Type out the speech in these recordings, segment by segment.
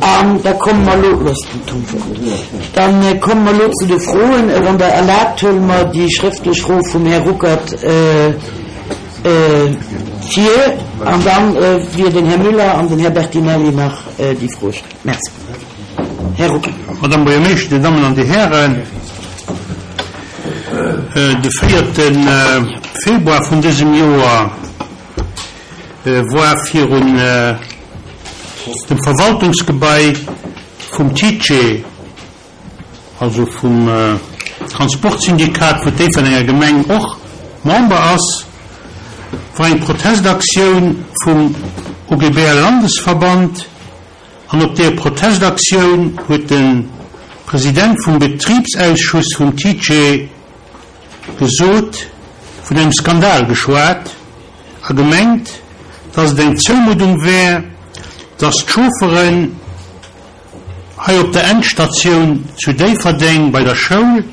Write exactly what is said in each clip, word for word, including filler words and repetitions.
An da komme mer elo, looss den Tom fort. Dann komme mer elo zu de Froen. Wann Der erlaabt, huele mer déi schrëftlech Fro vum Här Ruckert vir an dann wier den Här Müller an den Här Bertinelli nach déi Froe stellen. Merci. Här Ruckert. Madame Buergermeeschter, Dir Dammen an Dir Hären, de véierte Februar vun dësem Joer war virun dem Verwaltungsgebai vum TICE, also vum Transportsyndikat, wou d'Déifferdenger Gemeng och Member ass, war eng Protestaktioun vum O G B L-Landesverband. An op där Protestaktioun huet de President vum Betribsausschuss vum TICE gesot, vun engem Skandal geschwat a gemengt, dass et eng Zoumuddung wär, dass d'Chaufferen hei op der Endstatioun zu Déifferdeng bei der Schoul,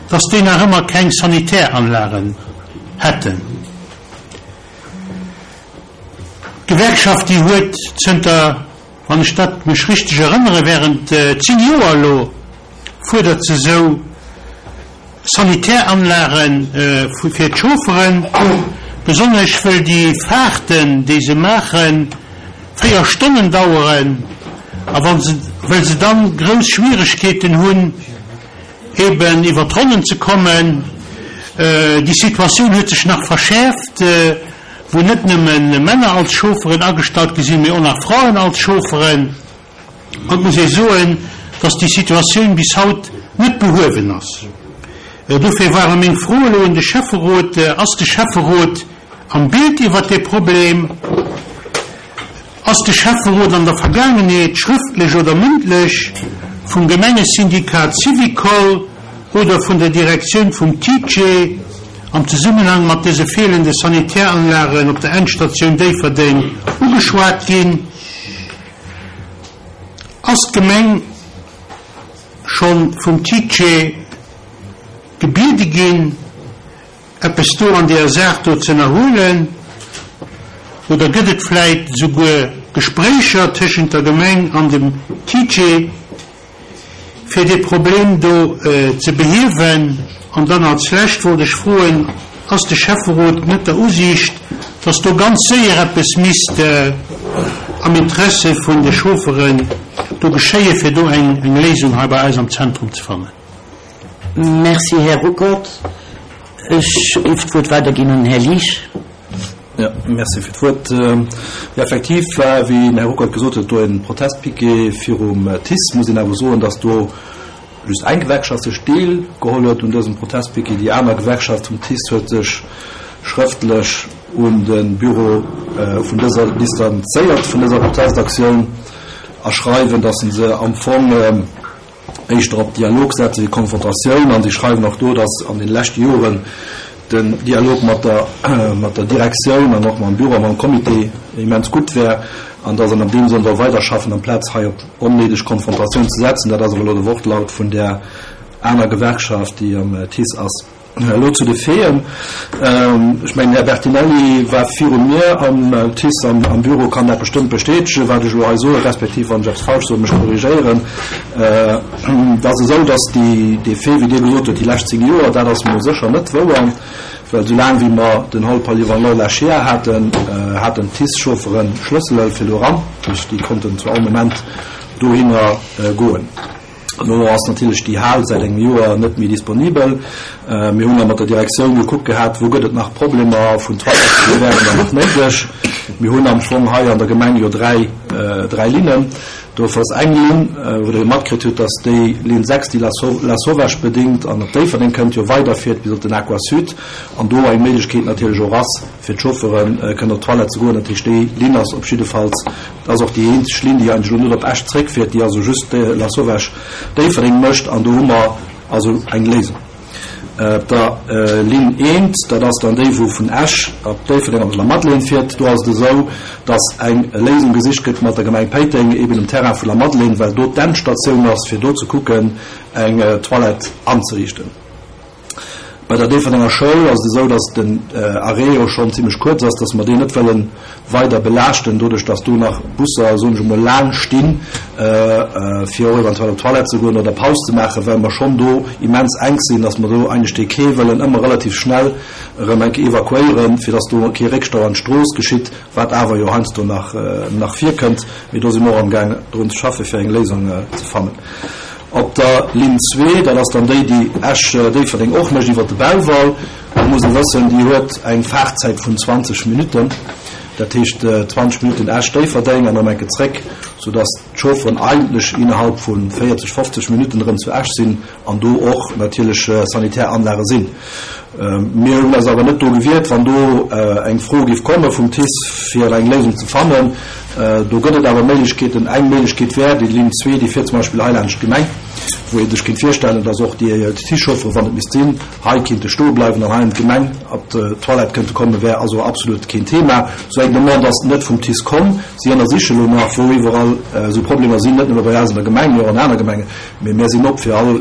dass déi nach ëmmer keng Sanitäranlagen hätten. D'Gewerkschaft, déi huet zënter, wann ech dat mech richteg erënnere, während zéng Joer elo, fuerdert se esou Sanitäranlage fir d'Chaufferen, besonnesch wëll déi Fahrten, déi se maachen, véier Stonnen daueren a wa se, wëll se dann grouss Schwieregkeeten hunn, eben iwwer d'Ronnen ze kommen. Déi Situatioun huet sech nach verschäerft, wou net nëmme Männer als Chaufferen agestallt gi sinn, mee och nach Fraen als Chaufferen. An et muss ee soen, dass déi Situatioun bis haut net behuewen ass. Dofir ware meng Fro elo un de Schäfferot, Ass de Schäfferot am Bild iwwert dee Problem? Ass de Schäfferot an der Vergaangenheet schrëftlech oder mëndlech vum Gemengesyndikat Syvicol oder vun der Direktioun vum TICE am Zesummenhang mat dëse feelende Sanitäranlagen op der Endstatioun Déifferdeng ugeschwat ginn? Ass d'Gemeng scho vum TICE gebiede ginn, eppes do an deeër Saach do ze ënnerhuelen? Oder gëtt et vläit esouguer Gespréicher tëschent der Gemeng an dem TICE, fir dee Problem do ze behiewen? An dann als Lescht wollt ech froen, Ass de Schäfferot net der Usiicht, dass do ganz séier eppes misst am Interesse vun de Chaufferen do geschéien, fir do eng Léisung hei bei eis am Zentrum ze fannen? Merci, Här Ruckert. Ech géif d'Wuert weiderginn un den Här Liesch. Jo, merci fir d'Wuert. Jo, effektiv war, wéi den Här Ruckert gesot huet, do e Protestpiquet virum TICE. Muss een awer soen, dass do just eng Gewerkschaft sech deelgeholl huet un dësem Protestpiquet. Déi aner Gewerkschaft vum TICE huet sech schrëftlech un de Büro vun dëser distanzéiert vun dëser Protestaktioun a schreiwen, dass se am Fong éischter op Dialog setzen wéi Konfrontatioun. An si schreiwen och do, dass an den leschte Joren den Dialog mat der mat der Direktioun an och mam Büro a mam Comité immens gutt wär an dass en an deem Sënn soll weiderschaffen amplaz hei op onnéideg Konfrontatioun ze setzen. Dat ass awer elo de Wortlaut vun där aner Gewerkschaft, déi am TICE ass. Elo zu de Faiten. Ech mengen, den Här Bertinelli war viru mir am TICE am Büro, kann dat bestëmmt bestätegen, wat ech elo hei soen, respektiv wann ech eppes falsch soen, mech korrigéieren. Et ass esou, datt déi, dee Fait, wéi Dir gesot hutt, déi lescht zéng Joer, dat ass emol sécher net wouer, well soulaang wéi mer den Hall polyvalent Lechea haten, haten d'TICE-Chauffere Schlëssele fir do eran, déi konnten zu all Moment dohinner goen. Elo ass natierlech déi Hal säit engem Joer net méi disponibel. Mir hunn da mat der Direktioun gekuckt gehat, wou gëtt et nach Problemer vun Toiletten, wou wären der nach néideg. Mir hunn am Fong hei an der Gemeng jo dräi, dräi Linnen. Dofir ass eng Linn, wou Der jo matkritt hutt, dass déi Linn sechs, déi Lasauvage bedingt an op Déifferdeng kënnt, jo weiderfiert bis op den Aquasud an do eng Méiglechkeet natierlech och ass, fir d'Chauffeure kënnen op d'Toilette ze goen. Dat heescht, déi Linn ass op jiddefalls, dat ass och déi eenzeg Linn, déi eigentlech elo net op Esch zréckfiert, déi also just Lasauvage-Déifferdeng mécht. An do hu mer also eng Léisung. Op der Linn eent, dat ass dann déi, wou vun Esch op Déifferdeng op Lamadelaine fiert, do ass et esou, dass eng Léisung gesicht gëtt mat der Gemeng Péiteng, eben um Terrain vu Lamadelaine, well do d'Endstatioun ass, fir do ze kucken, eng Toilette anzeriichten. Bei der Déifferdenger Schoul ass et esou, dass den Arrêt jo schonn zimlech kuerz ass, dass mer deen net wëlle weider belaaschten, doduerch dass do nach Busser, soen ech emol, laang stinn, fir och eventuell op d'Toilette ze goen oder Paus ze maachen, well mer schonn do immens enk sinn, dass mer do eigentlech dee Quai wëllen ëmmer relativ schnell erëm eng Kéier evakuéieren, fir dass do kee Réckstau an d'Strooss geschitt, wat awer jo heiansdo nach nach virkënnt. Mee do si mer och amgaang drun ze schaffen, fir eng Léisung ze fannen. Op der Linn zwee, dat ass dann déi, déi Esch-Déifferdeng och mécht iwwert de Belval, do muss ee wëssen, déi huet eng Fahrtzäit vun zwanzeg Minutten, dat heescht zwanzeg Minutten Esch-Déifferdeng an erëm eng Kéier zréck, soudass d'Chaufferen eigentlech innerhalb vu véierzeg, fofzeg Minutten erëm zu Esch sinn an do och natierlech sanitär Anlage sinn. Mir hunn eis awer net do gewiert, wann do eng Fro géif komme vum TICE, fir eng Léisung ze fannen. Do gëtt et awer Méiglechkeeten. Eng Méiglechkeet wär déi Linn zwee, déi fiert zum Beispill hei laanscht d'Gemeng, wou ee sech kéint virstellen, dass och déi TICE-Chauffere, wann et misst sinn, hei kéinte stoe bleiwen an hei an d'Gemeng op d'Toilette kënnte kommen, wär also absolut keen Thema. Esou eng Demande ass net vum TICE komm. Si ënnersiche elo nach, wou iwwerall esou Problemer sinn, net nëmme bei eis an der Gemeng, mee och an aner Gemengen. Mee mir sinn op fir all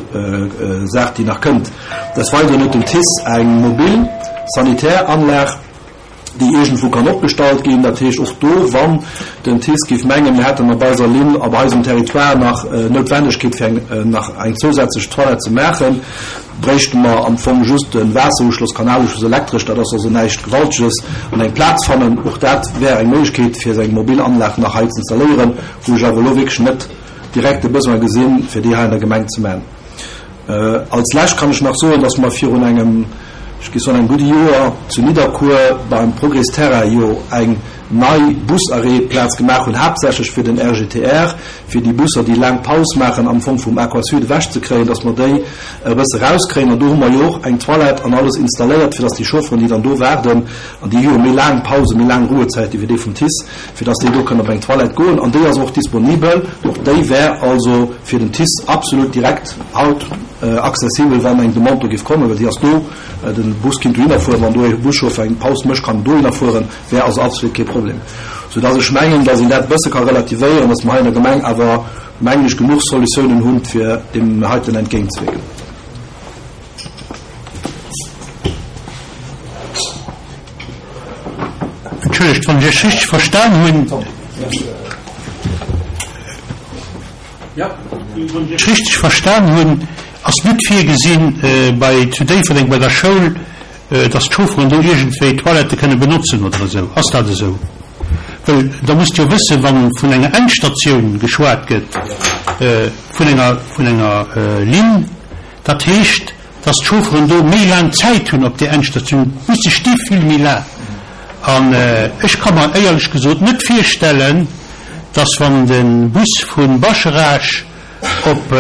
Saach, déi nach kënnt. Des Weideren huet den TICE eng mobil sanitär Anlag, déi iergendwou kann opgestallt ginn. Dat heescht, och do, wann den TICE géif mengen, mir hätten op eiser Linn, op eisem Territoire nach Noutwendegkeet fir eng, nach eng zousätzlech Toilette ze maachen, bréichte mer am Fong just de Waasseruschloss, Kanaluschloss elektresch, dat ass also näischt Gewalteges, an eng Plaz fannen. Och dat wär eng Méiglechkeet, fir esou eng mobil Anlag nach hei ze installéieren, wou ech awer elo wierklech net direkt de Besoin gesinn, fir déi hei an der Gemeng ze maachen. Als Lescht kann ech nach soen, dass mer virun engem, ech géif soen, engem gudde Joer zu Nidderkuer beim Progrès Terrain jo eng nei Busarrêtplaz gemaach hunn, haaptsächlech fir den R G T R, fir déi Busser, déi laang Paus maachen, am Fong vum Aquasud ewechzekréien, dass mer déi e bësse rauskréien. An do hu mer jo och eng Toilette an alles installéiert, fir dass déi Chaufferen, déi dann do waarden, an déi hu jo méi laang Pausen, méi laang Ruhezäite wéi déi vum TICE, fir dass déi do kënnen op eng Toilette goen. An déi ass och disponibel. Och déi wär also fir den TICE absolut direkt haut accessibel, wann eng Demande do géif kommen, well déi ass do. Den Bus kinnt dohinner fueren, wann do e Buschauffer eng Paus mécht, kann en dohinner fueren, wär also absolut kee Problem. Soudass ech mengen, dass een dat e bësse ka relativéieren, dass mer hei an der Gemeng awer, mengen ech, genuch Solutiounen hunn, fir deem heiten entgéintzewierken. Entschëllegt, wann ech Iech richteg verstan hunn. Wann ech Iech richteg verstan hunn, ass net virgesinn bei zu Déifferdeng bei der Schoul, dass d'Chaufferen do iergendwéi Toilette kënne benotzen oder esou. Ass dat esou? Well da musst jo wëssen, wann vun enger Endstatioun geschwat gëtt, vun enger, vun enger Linn, dat heescht, dass d'Chaufferen do méi laang Zäit hunn op där Endstatioun, muss se sti vill méi laang. An ech ka mer éierlech gesot net virstellen, dass wann de Bus vu Bascharage op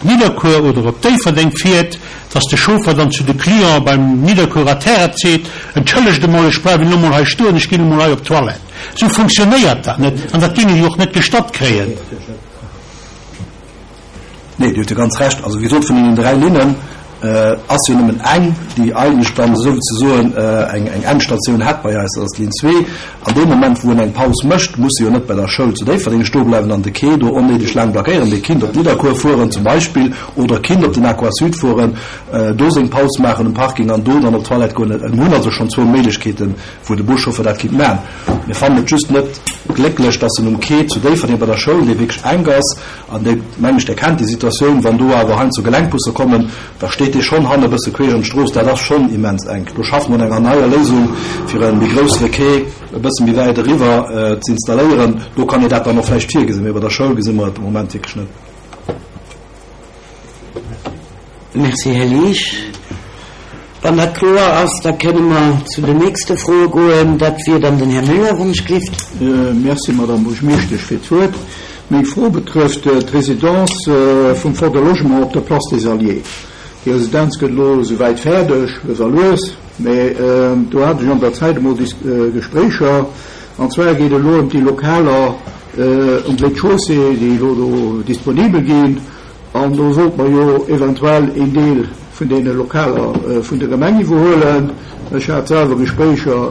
Nidderkuer oder op Déifferdeng fiert, dass de Chauffer dann zu de Client beim Nidderkuerer Terrain seet, entschëllegt emol, ech bleiwen elo mol hei stoen, ech ginn emol hei op d'Toilette. Sou funktionéiert dat net an dat géinge jo och net gestatt kréien. Nee, Dir hutt jo ganz Recht. Also wéi gesot, vun deenen dräi Linnen ass jo nëmmen eng, déi eigentlech dann souzesoen eng, eng Endstatioun hätt bei eis, dat ass d'Linn zwee. An deem Moment, wou en eng Paus mécht, muss e jo net bei der Schoul zu Déifferdeng stoe bleiwen an de Quai do onnéideg laang blockéieren. Dee kinnt op Nidderkuer fueren zum Beispill oder kinnt op den Aquasud fueren, do seng Paus maachen um Parking an do dann op d'Toilette goen. Mir hunn also schonn zwou Méiglechkeeten, wou de Buschauffer dat kinnt maachen. Mir fannen et just net glécklech, dass en um Quai zu Déifferdeng bei der Schoul, dee wierklech enk ass, an dee, meng ech, der kennt déi Situatioun, wann do awer heiansdo Gelenkbusse kommen, da steet dee schonn hanne e bësse queesch an d'Strooss, dat ass schonn immens enk. Do schaffe mer un enger neier Léisung, fir e méi groussere Quai e bësse méi wäit eriwwer ze installéieren. Do kann ee dat dann och vläicht virgesinn, mee bei der Schoul gesi mer et de Moment wierklech net. Merci, Här Liesch. Wann dat kloer ass, da kënne mer zu den nächste Froe goen. Dat wier dann den Här Müller, wann ech gelift. Merci, Madame Buergermeeschtesch, fir d'Wuert. Meng Fro betrëfft d'Résidence vum Fonds de Logement op der Place des Alliés. Déi Residenz gëtt elo souwäit fäerdeg, lues a lues, mee do hat ech an der Zäit emol Gespréicher. An zwar geet et elo ëm déi Lokaler um Rez-de-chaussée, déi elo do disponibel ginn. An do sollt man jo eventuell een Deel vun deene Lokaler vun der Gemeng iwwerhuelen. Ech hat selwer Gespréicher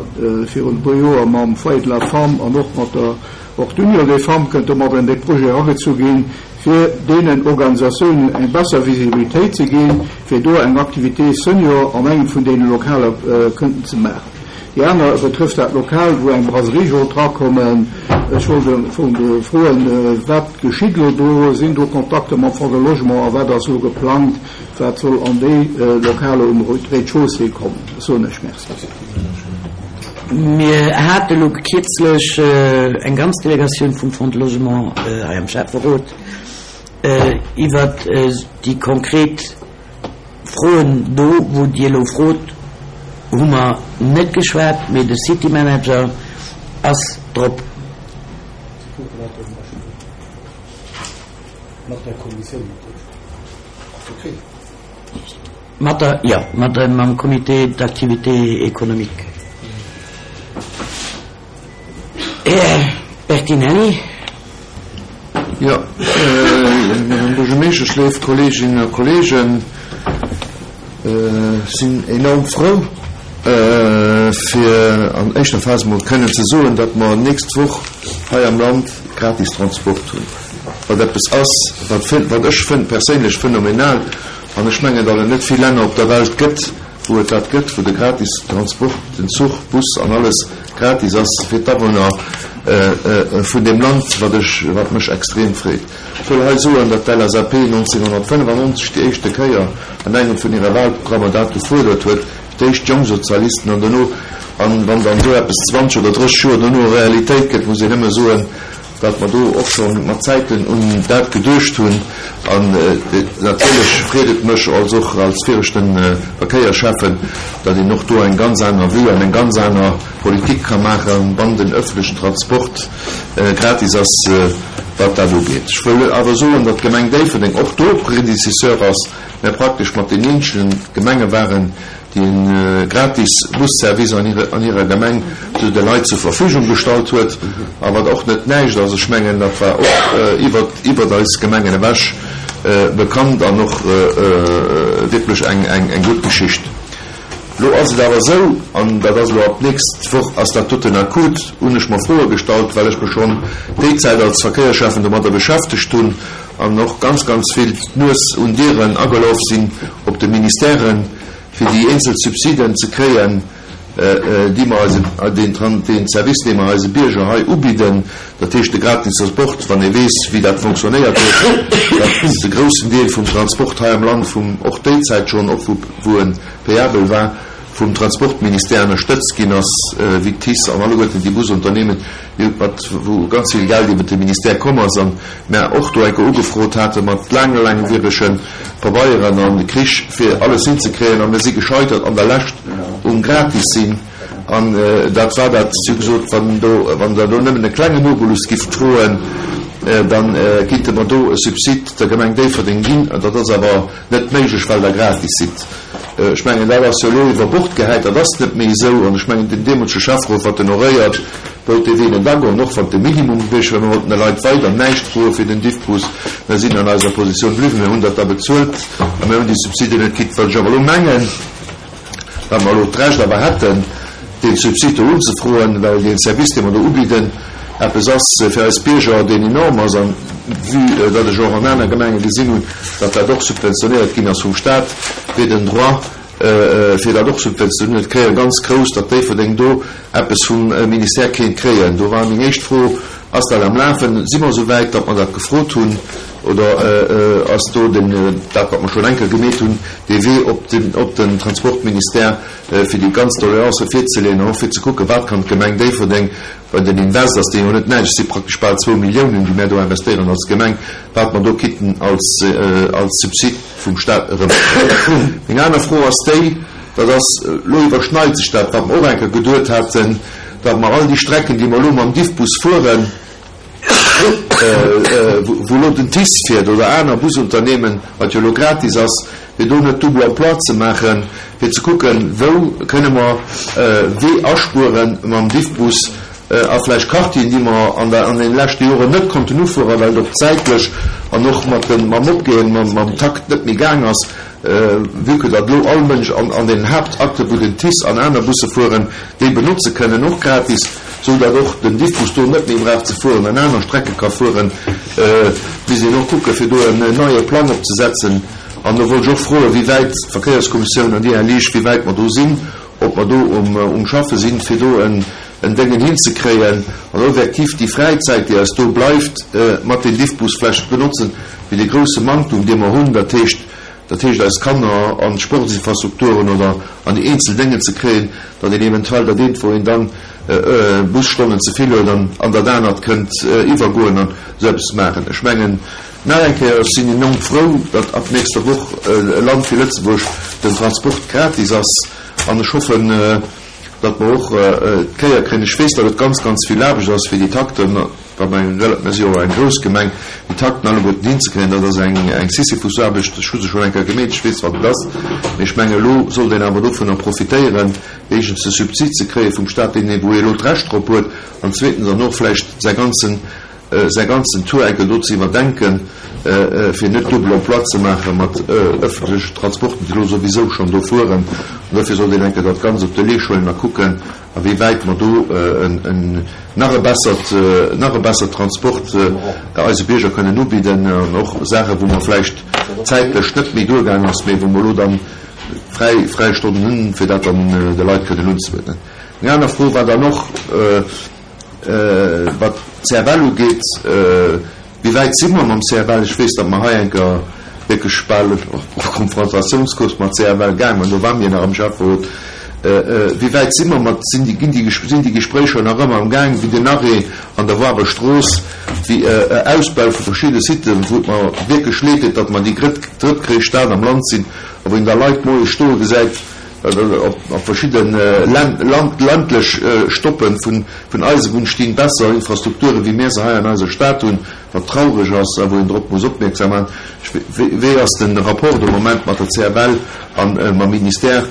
virun e puer Joer mam Foyer de la Femme an och mat der Och d'Union des Femmes kënnt domadder an dee Projet eragezu ginn, fir deenen Organisatiounen eng besser Visibilitéit ze ginn, fir do eng Activité senior an engem vun deene Lokaler kënnten ze maachen. Déi aner betrëfft dat Lokal, wou eng Brasserie sollt drakommen. Ech wollt am Fong froen, wat geschitt elo do? Sinn do Kontakter mam Fonds de Logement a wat ass elo geplangt, wat soll an déi Lokaler um Rez-de-chaussée kommen? Da soen ech Merci. Mir hate elo kierzlech eng ganz Delegatioun vum Fonds de Logement hei am Schäfferot iwwert déi konkret Froen do, wou Dir elo frot, hu mer net geschwat, mee de City Manager ass drop. Mat der, jo, mat der, mam Comité d'activité économique. Här Bertinelli. Jo, Madame Buergermeeschtesch, léif Kolleeginnen a Kolleegen, ech sinn enorm frou, fir an éischter Phas emol kënnen ze soen, datt mer nächst Woch hei am Land gratis Transport hunn, wat eppes ass, wat, wat ech perséinlech phänomenal, an ech mengen, datt et net vill Länner op der Welt gëtt, wou et dat gëtt, wou de gratis Transport, den Zuch, Bus an alles gratis ass fir d'Awunner vun deem Land, wat ech, wat mech extrem freet. Ech wëll hei soen, datt d'L S A P nonzénghonnertfënnefannonzeg déi éischte Kéier an engem vun hire Wahlprogrammer dat gefuerdert huet, d'éischt d'Jongsozialisten an dono, an wann dann esou eppes zwanzeg oder drësseg Joer dono Realitéit gëtt, muss een nëmme soen, datt mer do och scho mat Zäiten un dat geduecht hunn. An natierlech freet et mech als och als viregte Verkéierschäffen, datt een och do eng ganz aner Vue an eng ganz aner Politik ka maachen, wann den öffentlichen Transport gratis ass, wat dat ugeet. Ech wëll awer soen, datt d'Gemeng Déifferdeng och do Prédécesseur ass, mä praktesch mat den eenzegen Gemenge waren, déi e gratis Busservice an hire, an hirer Gemeng zu de Leit zur Verfügung gestallt huet, a wat och net näischt ass. Ech mengen, dat war och iwwer, iwwer eis Gemengen ewech bekannt an och wierklech eng, eng, eng gutt Geschicht. Lo ass et awer esou, an dat ass elo ab d'nächst Woch ass dat doten akut, hunn ech mer Froe gestallt, well ech mech schonn déi Zäit als Verkéierschäffen domadder beschäftegt hunn an och ganz, ganz vill d'Nues un Dieren agelaf sinn op de Ministèren, fir déi eenzel Subsiden ze kréien, déi mer eise, deen, deen Service, dee mer eise Bierger hei ubidden, dat heescht de gratis Transport, wann ee weess, wéi dat fonctionnéiert huet, dat de groussen Deel vum Transport hei am Land vum, och déi Zäit schonn, och wou, wou e payabel war, vum Transportministère ënnerstëtzt ginn ass, wéi d'TICE an alleguerten déi Busunternehmen, mat wou ganz vill Geld iwwer de Ministère komm ass, an mär och do enke ugefrot hate mat laange laangwierege Pabeieren an Krich fir alles hinzekréien, a mir si gescheitert an der Lescht um gratis sinn. An dat war dat, si hu gesot, wann do, wann Der do nëmmen e klengen Obolus gifft froen, dann kinnte mer do e Subsid der Gemeng Déifferdeng ginn, dat ass awer net méiglech, well Der gratis sidd. Ech mengen, dat ass jo elo iwwer Bord gehäit, dat ass net méi esou. An ech mengen, den deemolege Schäfferot, wat en honoréiert, wollt dee Wee net agoen, och wann et de Minimum gewiescht wär. Mir wollten de Leit weider näischt froe fir den Diffbus. Mir sinn an eiser Positioun bliwwen, mir hunn dat da bezuelt a mir hunn déi Subsiden net kritt. Wat ech awer elo mengen, wat mer elo d'Recht awer hätten, dee Subsid do unzefroen, well dee Service, dee mer do ubidden, eppes ass fir eis Bierger, deen enorm ass, an vue datt ech och an aner Gemenge gesinn hunn, datt dat och subventionéiert ginn ass vum Staat, wier den Droit, fir dat och subventionéiert kréien, ganz grouss, datt Déifferdeng do eppes vum Ministère kéint kréien. Do war meng éischt Fro, Ass dat am Lafen? Si mer esou wäit, datt mer dat gefrot hunn, oder ass do den, dat wat mer schonn eng Kéier gemeet hunn, dee Wee op den, op den Transportministère, fir déi ganz Doleancë virzeleeën an och fir ze kucken, wat kann d'Gemeng Déifferdeng, well den Invest ass dee jo net näischt, et si praktesch bal zwou Milliounen, déi mär do investéieren als Gemeng, wat mer do kitten als, als Subsid vum Staat erëmkréien. Meng aner Fro ass déi, dat ass, elo iwwerschneit sech dat, wat mer och eng Kéier geduet haten, datt mer all déi Strecken, déi mer elo mam Diffbus fueren, wou elo den TICE fiert oder aner Busunternehmen, wat jo elo gratis ass, fir do net double emploi ze maachen, fir ze kucken, wou kënne mer Wee aspueren mam Diffbus a vläicht Quartieren, déi mer an der, an den leschte Joren net konnten ufueren, well et och zäitlech an och mat dem, mam Opgehen, mam, mam Takt net méi gaang ass, vue que datt elo all Mënsch an, an den Haaptakte, wou den TICE an aner Busse fueren, déi benotze kënnen, och gratis. sou datt och den Diffbus do net méi brauch ze fueren an aner Strecke ka fueren, misst een och kucke fir do en neie Plang opzesetzen. An do wollt ech och froen, wéi wäit d'Verkéierskommissioun an Dir, Här Liesch, wéi wäit mer do sinn, ob mer do um um Schaffe sinn, fir do en en Déngen hinzekréien an effektiv déi Fräizäit, déi eis do bleift, mat den Diffbus vlächtt benotzen, fir dee grouse Manktum, dee mer hunn, dat heescht, dat heescht eis Kanner an d'Sportsinfrastrukturen oder an déi eenzel Déngen ze kréien, datt een eventuell dat eent, wou een dann Busstonnen ze vill huet, an an dat anert kënnt iwwergoen an esou eppes maachen. Ech mengen, nach eng Kéier, ech sinn enorm frou, datt ab nächster Woch e Land wéi Lëtzebuerg den Transport gratis ass an ech hoffen, datt mer och d'Kéier kréien, ech weess, datt et ganz, ganz vill Aarbecht ass, fir déi Takten, well mer eng, mir si jo och eng grouss Gemeng, déi Takten alleguerten hinzekréien, dat ass eng, eng Sisyphusaarbecht. Ech hu se schonn eng Kéier gemeet, ech weess, wat et ass. Mee ech mengen, elo sollt een awer dovunner profitéieren, éischtens de Subsid ze kréie vum Stat, deen ee, wou ee elo d'Recht drop huet, an zweetens dann och vläicht säi ganzen, säi ganzen Tour enke do ze iwwerdenken, fir net double emploi ze maache mat öffentlechen Transporten, déi elo souwisou schonn do fueren. An dofir sollt een enke dat Ganzt op de Leesch huelen a kucken, a wéi wäit mer do en nach e bessert, nach e bessert Transport eise Bierger kënnen ubidden an och Saachen, wou mer vläicht zäitlech net méi duergaang ass, mee wou mer elo dann fräi, fräi Stonnen hunn, fir dat dann de Leit kënnen unzebidden. Eng aner Fro war dann och, Wat d'CFL ugeet, wéi wäit si mer mam C F L? Ech weess, datt mer hei eng Kéier wierklech bal op Konfrontatiounskurs mat C F L gaangen waren, do ware mir nach am Schäfferot. Wéi wäit si mer mat, sinn déi, ginn déi, sinn déi Gespréicher nach ëmmer am Gaang, wéi den Arrêt an der Wawer Strooss, wéi Ausbau vu verschidde Siten, wou et mer wierklech leed deet, datt mer déi drëttgréisst Stad am Land sinn a wou een da Leit moies stoe gesäit, op verschidde ländlech Stoppe vun Eisebunn stinn besser Infrastrukture wéi mir se hei an eiser Stad hunn, wat traureg ass a wou een drop muss opmierksam maachen. Wéi ass de Rapport de Moment mat der C F L a mam Ministère?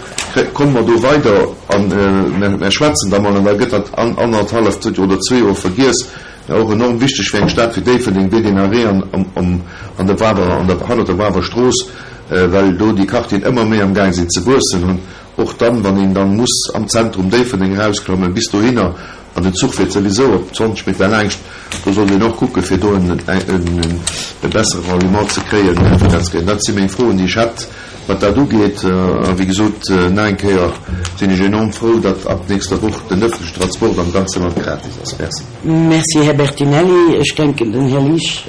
Komme mer do weider? A mer schwätzen da mol an da gëtt dat annerthalleft oder zwee Joer vergiess. Och enorm wichteg fir eng Stad wéi Déifferdeng wier deen Arrêt an der Wawer, hannert der Wawer Strooss, well do déi Quartieren ëmmer méi am Gaang sinn ze wuessen an och dann, wann een dann muss am Zentrum Déifferdeng erausklammen bis dohinner an den Zuch fiert souwisou op zwanzeg Meter laangscht, do sollt een och kucken, fir do e bessere Ralliement ze kréien, fir dat ze kréien. Dat si meng Froen, déi ech hätt, wat dat ugeet. A wéi gesot, nach eng Kéier sinn ech enorm frou, datt ab nächster Woch den öffentlichen Transport am ganze Land gratis ass. Merci. Merci, Här Bertinelli. Ech denken, den Här Liesch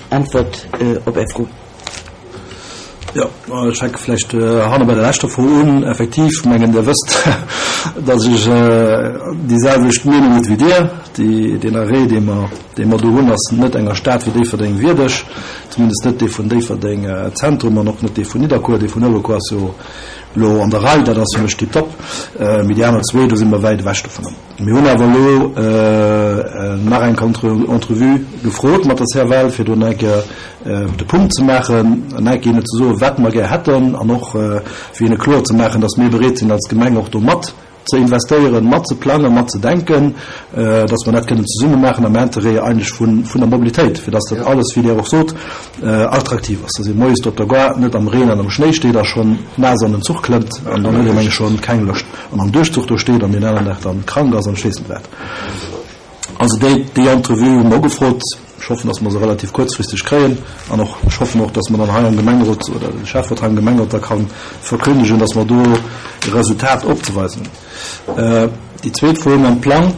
äntwert op Är Fro. Jo, ech fänke vläicht hanne bei der leschter Fro un. Effektiv, mengen Dir wësst, datt ech déi selwecht Meenung huet wéi Dir. Déi, deen Arrêt, dee mer, dee mer do hunn, ass net enger Stad wéi Déifferdeng wierdeg, zumindest net dee vun Déifferdeng Zentrum an och net dee vun Nidderkuer. Dee vun Uewerkuer ass jo elo an der Rei, dat ass fir mech tiptop, mee déi aner zwee, do si mer wäit ewech dovunner. Mir hunn awer elo nach eng Entrevue gefrot mat der C F L, fir do nach eng Kéier de Punkt ze maachen, nach eng Kéier hinne ze soen, wat mer gär hätten, an och fir hinne kloer ze maachen, dass mir bereet sinn als Gemeng och do mat ze investéieren, mat ze plangen, mat ze denken, dass mer dat kënnen zesumme maachen am Interêt eigentlech vun der Mobilitéit, fir dass dat alles, wéi Dir och sot, attraktiv ass, dass ee moies do op der Gare net am Reen an am Schnéi steet a schonn naass an den Zuch klëmmt an dann huet ee menge schonn keng Loscht an am Duerchzuch do steet an deen aneren Dag dann krank ass an ech weess net wat. Also déi, déi Entrevue hu mer ugefrot. Ech hoffen, dass mer se relativ kuerzfristeg kréien an och ech hoffen och, dass mer dann hei am Gemengerot oder de Schäfferot hei am Gemengerot da ka verkündegen, dass mer do e Resultat opzeweisen hunn. Déi zweet Fro mam Plang,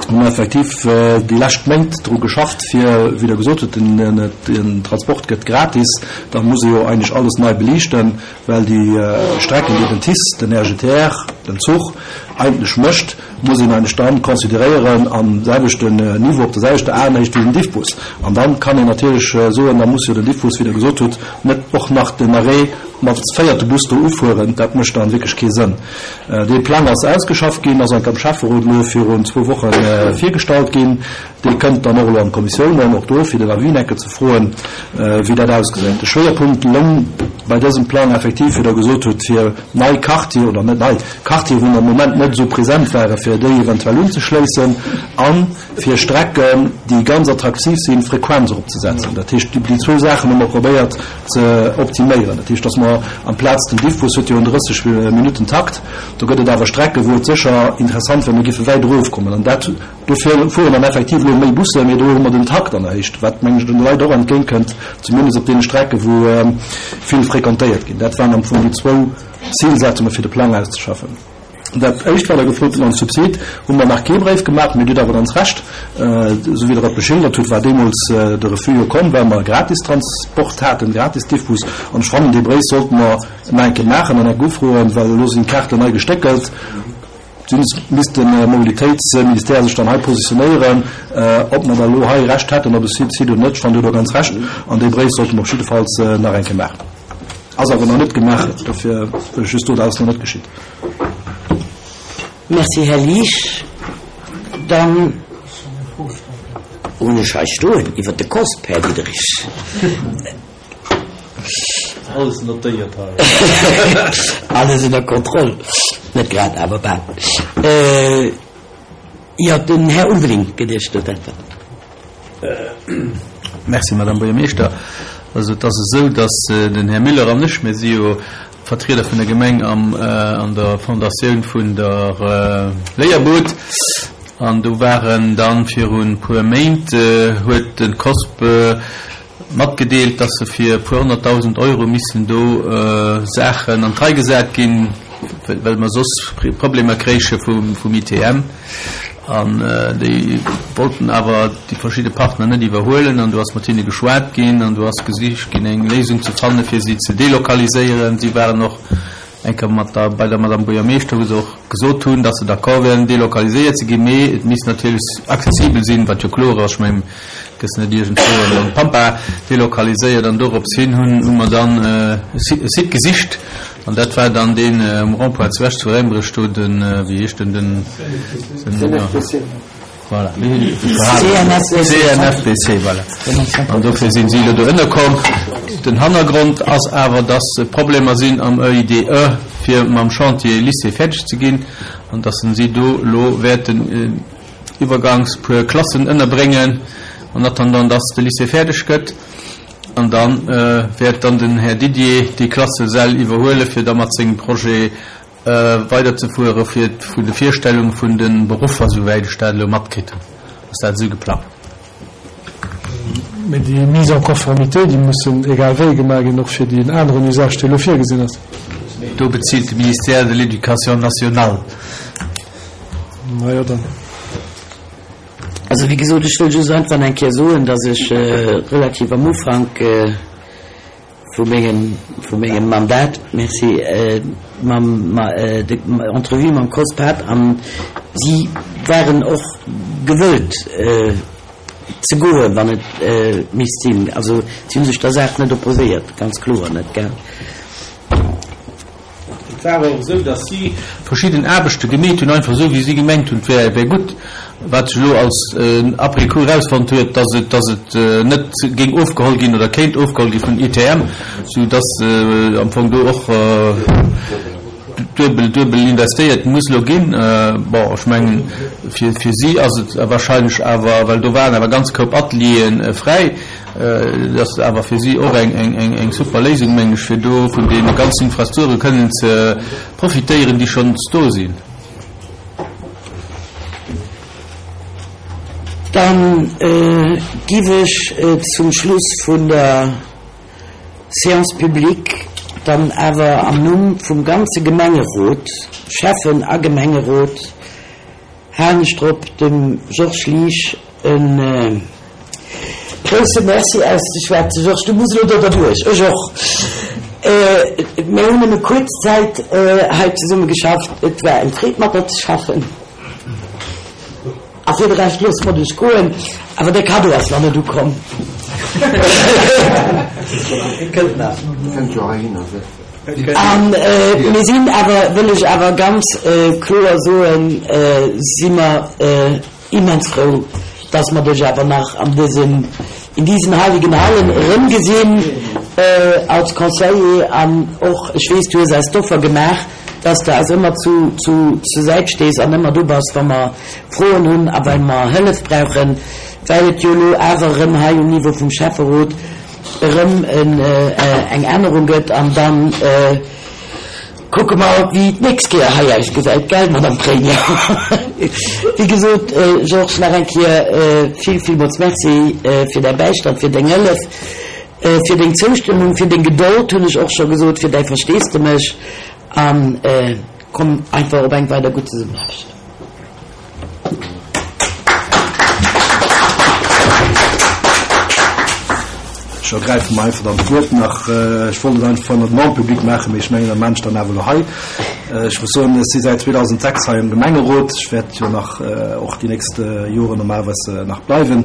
hu mer effektiv déi lescht Méint dru geschafft, fir, wéi Der gesot hutt, den, den Transport gëtt gratis, da muss ee jo eigentlech alles nei beliichten, well déi Strecken, déi den T I C E, den R G T R, den Zuch eigentlech mécht, muss een eigentlech dann consideréieren am selwechten Niveau, op der selwechter Aenhéicht wéi den Diffbus. An dann kann een natierlech soen, da muss jo den Diffbus, wéi Der gesot hutt, net och nach den Arrêt mat véierte Bus do ufueren. Dat mécht dann wierklech kee Sënn. Dee Plang ass ausgeschafft ginn, ass am Schäfferot elo virun zwou Woche virgestallt ginn. Dee kënnt dann och elo an d'Kommissiounen, och do fir den Avis enke ze froen, wéi dat ausgesäit. De Schwéierpunkt loung bei dësem Plang effektiv, wéi Der gesot hutt, fir nei Quartier, oder net nei, Quartier, wou am Moment net esou present waren, fir déi eventuell unzeschléissen a fir Strecken, déi ganz attraktiv sinn, d'Frequenz eropzesetzen. Dat heescht, déi zwou Saachen hu mer probéiert ze optiméieren. Dat heescht, dass mer amplaz, den Diffbus huet jo en drësseg Minutten Takt, do gëtt et awer Strecken, wou et sécher interessant wär, mir géife wäit erofkommen. An dat, dofir fueren dann effektiv elo méi Bussen, mee do hu mer den Takt an der Héicht, wat, mengen ech, den Leit och entgéintkënnt, zumindest op deene Strecken, wou vill frequentéiert ginn. Dat waren am Fong déi zwou Zilsetzunge fir de Plang auszeschaffen. Dat Éischt, wat Der gefrot hutt, mam Subsid, hu mer nach kee Bréif gemaach, mee Dir hutt awer ganz Recht, esou wéi Der et beschildert hutt, war deemools de Refus jo komm, well mer Gratistransport haten, Gratis-Diffbus. An ech fannen, dee Bréif sollte mer nach eng Kéier maachen an eng ufroen, well elo sinn d'Kaarten nei gestéckelt. Zumindest misst de Mobilitéitsministère sech dann hei positionéieren, ob mer da elo hei Recht hätten op e Subsid oder net. Ech fannen, Dir hutt do ganz Recht an dee Bréif sollte mer op jiddefalls nach eng Kéier maachen. Ass awer nach net gemaach, dofir wëll ech just soen, dat ass nach net geschitt. Merci, Här Liesch. Dann hunn ech hei stoen iwwert de COSP, Här Diderich. Alles notéiert hei. Alles ënner Kontroll. Net grad, awer bal. Jo, den Här Ulveling gëtt Iech do d'Äntwert. Merci, Madame Buergermeeschter. Also et ass esou, datt den Här Müller an ech, mir si jo Vertrieder vun der Gemeng am, an der Fondatioun vun der Léierbud, an do waren dann virun e puer Méint, huet de COSP matgedeelt, datt se fir e puer honnertdausend Euro missten do Saachen an d'Rei gesat ginn, well mer soss Problemer kréiche vum I T M. An déi wollten awer déi verschidde Partner net iwwerhuelen. An do ass mat hinne geschwat ginn an do ass gesicht ginn, eng Léisung ze fannen, fir si ze delokaliséieren. Si waren och eng Kéier mat der, bei der Madame Buergermeeschter, wou se och gesot hunn, datt se d'accord wären, delokaliséiert ze ginn, mee et misst natierlech accessibel sinn, wat jo kloer ass. Ech mengen, et gëss net iergendwou an d'Pampa delokaliséiert. An dorops hin hunn, hu mer dann e Site gesicht. An dat war dann deen um Rond-point zu Esch zu Réimbereg, do den, wéi heescht den, den, den, voilà, C N F B C, voilà. An dofir sinn si elo do ënnerkomm. Den Hannergrond ass awer, dass Problemer sinn am E I D E, fir mam Chantier Lycée fäerdeg ze ginn, an dass si do elo wäerten iwwergangs puer Klassen ënnerbréngen, en attendant, dass de Lycée fäerdeg gëtt. An dann wäert dann den Här Didier déi Klassesäll iwwerhuelen, fir da mat sengem Projet weiderzefuere fir vun de Virstellung vun de Beruffer, souwäit ech dat elo matkritt hunn. Ass dat esou geplangt? Mee déi Mise en conformité, déi mussen egal wéi gemaach ginn, och fir deen aneren Usage, dee elo virgesinn ass. Do bezilt de Ministère de l'Éducation nationale. Na jo, dann. Also wéi gesot, ech wëll just einfach eng Kéier soen, datt ech relativ am Ufank vu mengem, vu mengem Mandat, merci, mam, ma, de Entrevue mam COSP hat an si waren och gewëllt ze goen, wann et misst sinn. Also si hu sech der Saach net opposéiert, ganz kloer net, gell? Et war och esou, datt si verschidden Aarbechte gemeet hunn, einfach esou, wéi si gemengt hunn, et wär, wär gutt. Wat sech elo als après-coup erausfonnt huet, datt et, datt et net géing ofgeholl ginn oder kéint ofgeholl gi vun I T M, sou datt am Fong do och duebel, duebel investéiert muss elo ginn. Bon, ech mengen, fir, fir si ass et wahrscheinlech awer, well do waren awer ganz Koup Atelieren fräi, dat ass awer fir si och eng, eng, eng, eng super Léisung, mengen ech, fir do vun deene ganzen Infrastrukture kënnen ze profitéieren, déi schonns do sinn. Dann giff ech zum Schluss vun der Séance publique dann awer am Numm vum ganze Gemengerot, Schäffen a Gemengerot, halen ech drop, dem Georges Liesch e grousse Merci auszeschwätzen. Georges, du muss elo do derduerch, ech och. Mir hunn nëmme kuerz Zäit hei zesumme geschafft. Et war eng Freed, mat der ze schaffen. A fir de Rescht loosse mer dech goen, awer de Cadeau ass nach net ukomm. An mir sinn awer, wëll ech awer ganz kloer soen, si mer immens frou, dass mer dech awer nach an dësem, in diesen heiligen Hallen erëmgesinn. als Conseiller an och, ech weess, du hues eis d'Offer gemaach, dass de eis ëmmer zu, zu, zur Säit stees an ëmmer do bass, wa mer Froen hunn a well mer Hëllef brauchen, well et jo elo awer erëm hei um Niveau vum Schäfferot erëm en, eng Ännerung gëtt an dann kucke mer, wéi d'nächst Kéier hei ausgesäit, gell, Madame Première? Wéi gesot, Georges, nach eng Kéier vill, villmools Merci fir däi Bäistand, fir deng Hëllef, fir deng Zoustëmmung, fir deng Gedold, hunn ech och scho gesot, fir däi Versteesdemech a komm einfach op eng weider gutt Zesummenaarbecht. Ech ergräife mer einfach dann d'Wuert nach. Ech wollt et einfach net en public maachen, mee ech mengen, dat maan ech dann awer elo hei. Ech muss soen, ech si säit zweedausendsechs hei am Gemengerot. Ech wäert jo nach och déi nächst Joren normalerweis nach bleiwen.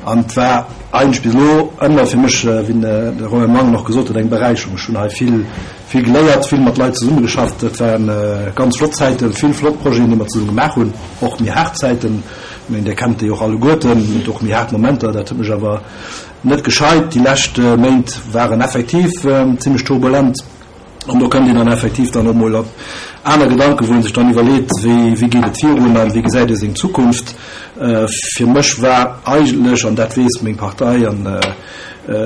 An et war eigentlech bis elo ëmmer fir mech, wéi de Romain Mangen och gesot huet, eng Beräicherung. Ech hunn hei vill, vill geléiert, vill mat Leit zesummegeschafft. Et ware ganz flott Zäiten, vill flott Projeten, déi mer zesumme gemaach hunn, och méi haart Zäiten. Ech mengen, Dir kennt déi och alleguerten, et och méi haart Momenter. Dat huet mech awer net gescheit. Déi lescht Méint waren effektiv zimmlech turbulent an do kënnt een dann effektiv dann och mol op aner Gedanken, wou ee sech dann iwwerleet, wéi, wéi geet et virun an wéi gesäit ee seng Zukunft. Fir mech war eigentlech, an dat weess meng Partei, an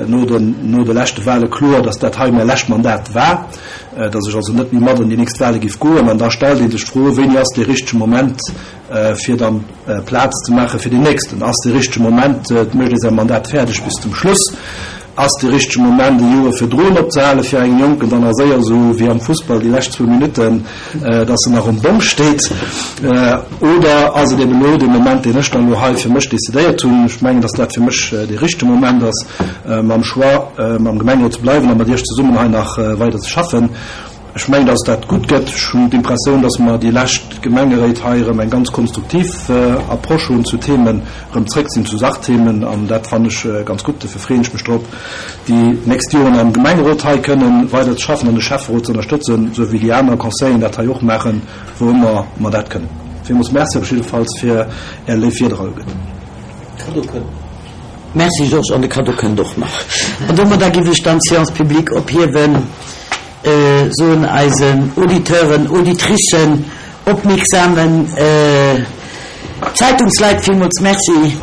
no den, no de leschte Wahle kloer, datt dat hei mäi lescht Mandat war, datt ech also net méi mat an déi nächst Wahle géif goen. An da stellt ee sech d'Fro, wéini ass dee richtege Moment, fir dann Plaz ze maache fir deen nächsten? Ass dee richtege Moment, et mécht ee säi Mandat fäerdeg bis zum Schluss? Ass dee richtege Moment, e Joer virdrun opzehale fir engem Jonken dann nach séier, esou wéi am Fussball déi lescht zwou Minutten, dass en nach um Bom steet? Oder ass et eben elo dee Moment, deen ech dann elo hei fir mech decidéiert hunn? Ech mengen, dass dat fir mech dee richtege Moment ass, mam Choix, am Gemengerot ze bleiwen a mat Iech zesummen hei nach weider ze schaffen. Ech mengen, dass dat gutt gëtt. Ech hunn d'Impressioun, dass mer déi lescht Gemengeréit hei erëm eng ganz konstruktiv Approche hunn zu Themen, erëm zréck sinn zu Sachthemen, an dat fannen ech ganz gutt. Dofir freeën ech mech drop, déi nächst Joren am Gemengerot hei kënnen weider ze schaffen an de Schäfferot ze ënnerstëtzen, esou wéi déi aner Conseilleren dat hei och maachen, wou ëmmer mer dat kënnen. Villmools Merci op jiddefalls fir Är léif Wierder alleguerten. Cadeau kënnt. Merci Georges, an de Cadeau kënnt och nach. An domadder giff ech dann d'Séance publique ophiewen. Soen eisen Auditeuren, Auditricen, opmierksamen Zeitungsleit villmools Merci.